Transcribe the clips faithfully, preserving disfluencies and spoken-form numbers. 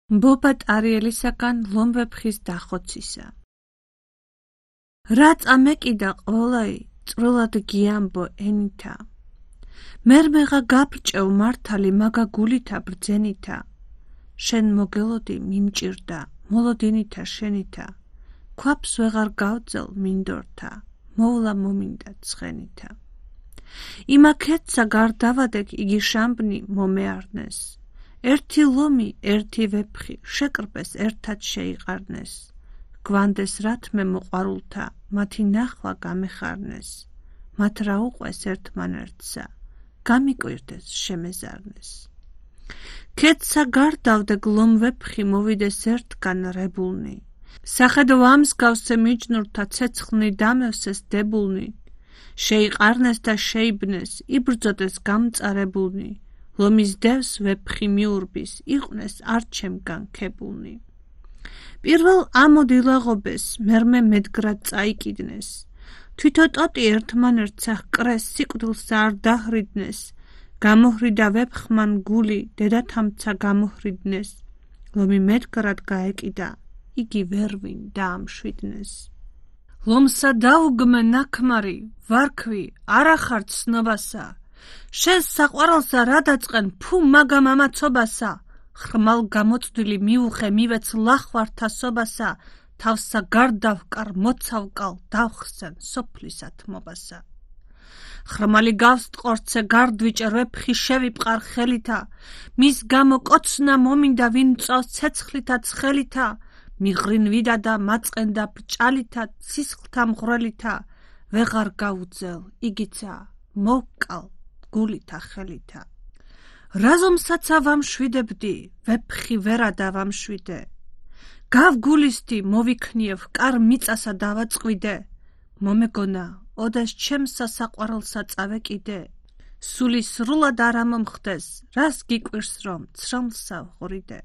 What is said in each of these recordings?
მბობა ტარიელისაგან ლომვეფხის დახოცისა. რა წამეკიდა ყველაი წვრილად გიამბო ენითა. მერმეღა გაბრჭევ მართალი მაგა გულითა ბრძენითა. შენ მოგელოდი მიმჭირდა მოლოდინითა შენითა. ქვაფს ვეღარ გავძელ მინდორთა მოვლა მომინდა ცხენითა. იმაქეთსა გარდავადეკ იგი შამბნი მომეარნეს. ერთი ლომი ერთი ვეფხი შეკრპეს ერთად შეიყარნეს. გვანდეს რათმე მოყვარულთა მათი ნახვა გამეხარნეს. მათ რა უყვეს ერთმანერთსა გამიკვირდეს შემეზარნეს. ქეთსა გარდავდე გლომ ვეფხი მოვიდეს ერთგან რებულნი. სახედო ამსგავსე მიჯნურთა ცეცხლნი დამევსეს დებულნი. შეიყარნეს და შეიბნეს იბრძოდეს გამწარებულნი. ლომის დევს ვეფხი მიურბის იყვნეს არჩემგან ქებულნი. პირველ ამოდილაღობეს მერმე მედგრად წაიკიდნეს. თვითო ტოტი ერთმანერთსა ჰკრეს სიკვდილსა არ დაჰრიდნეს. გამოჰრიდა ვეფხმან გული დედათამცა გამოჰრიდნეს. ლომი მედგრად გაეკიდა იგი ვერვინ დაამშვიდნეს. ლომსა დაუგმე ნაქმარი ვარქვი არახარ ცნობასა. შენს საყვარელსა რა დაწყენ ფუ მაგა მამაცობასა. ხრმალ გამოწვდილი მიუხე მივეც ლახვართა სობასა. თავსა გარდავკარ მოცავკალ დავხსენ სოფლის ათმობასა. ხრმალი გავს ტყორცე გარდვიჭერ ვეფხი შევიპყარ ხელითა. მის გამო კოცნა მომინდა ვინ წავს ცეცხლითა ცხელითა. მიღრინვიდა და მაწყენდა ბრჭალითა სისხლთა მღვრელითა. ვეღარ გაუძელ იგიცა მოვკალ გულითა ხელითა. რაზომსაცა ვამშვიდებდი ვეფხი ვერადა ვამშვიდე. გავგულისდი მოვიქნიევ კარ მიწასა დავაწყვიდე. მომეგონა ოდეს ჩემსა საყვარელსა წავეკიდე. სული სრულად არ ამომხდეს რას გიკვირს რომ ცრომლსა ვღვრიდე.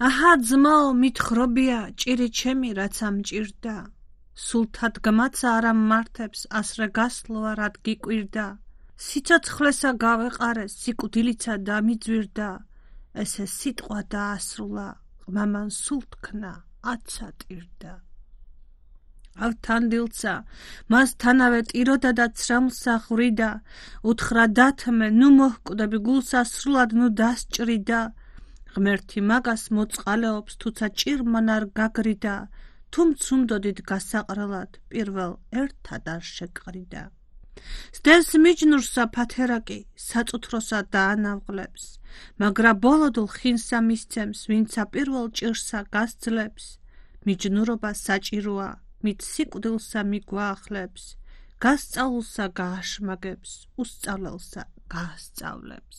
აჰა ძმაო მითხრობია ჭირი ჩემი რაც ამჭირდა. სულთა დგმაცა არ ამმართებს ასრე გასლოა რად გიკვირდა. სიცოცხლესა გავეყარე სიკვდილიცა დამიძვირდა. ესე სიტყვა დაასრულა ყმამან სულ თქნა აცა ტირდა. ავთანდილცა მას თანავე ტიროდა და ცრამლსა ხვრიდა. უთხრა დათმე ნუ მოჰკვდები გულსა სრულად ნუ დასჭრიდა. ღმერთი მაგას მოწყალეობს თუცა ჭირმან არ გაგრიდა. თუმ ცუნდოდით გასაყრელად პირველ ერთად არ შეკრიდა. სდევს მიჯნურსა ფათერაკი საწუთროსა დაანავღლებს. მაგრა ბოლოდულ ხინსა მისცემს ვინცა პირველ ჭირსა გასძლებს. მიჯნურობა საჭიროა მით სიკვდილსა მიგვაახლებს. გასწავლულსა გააშმაგებს უსწავლელსა გაასწავლებს.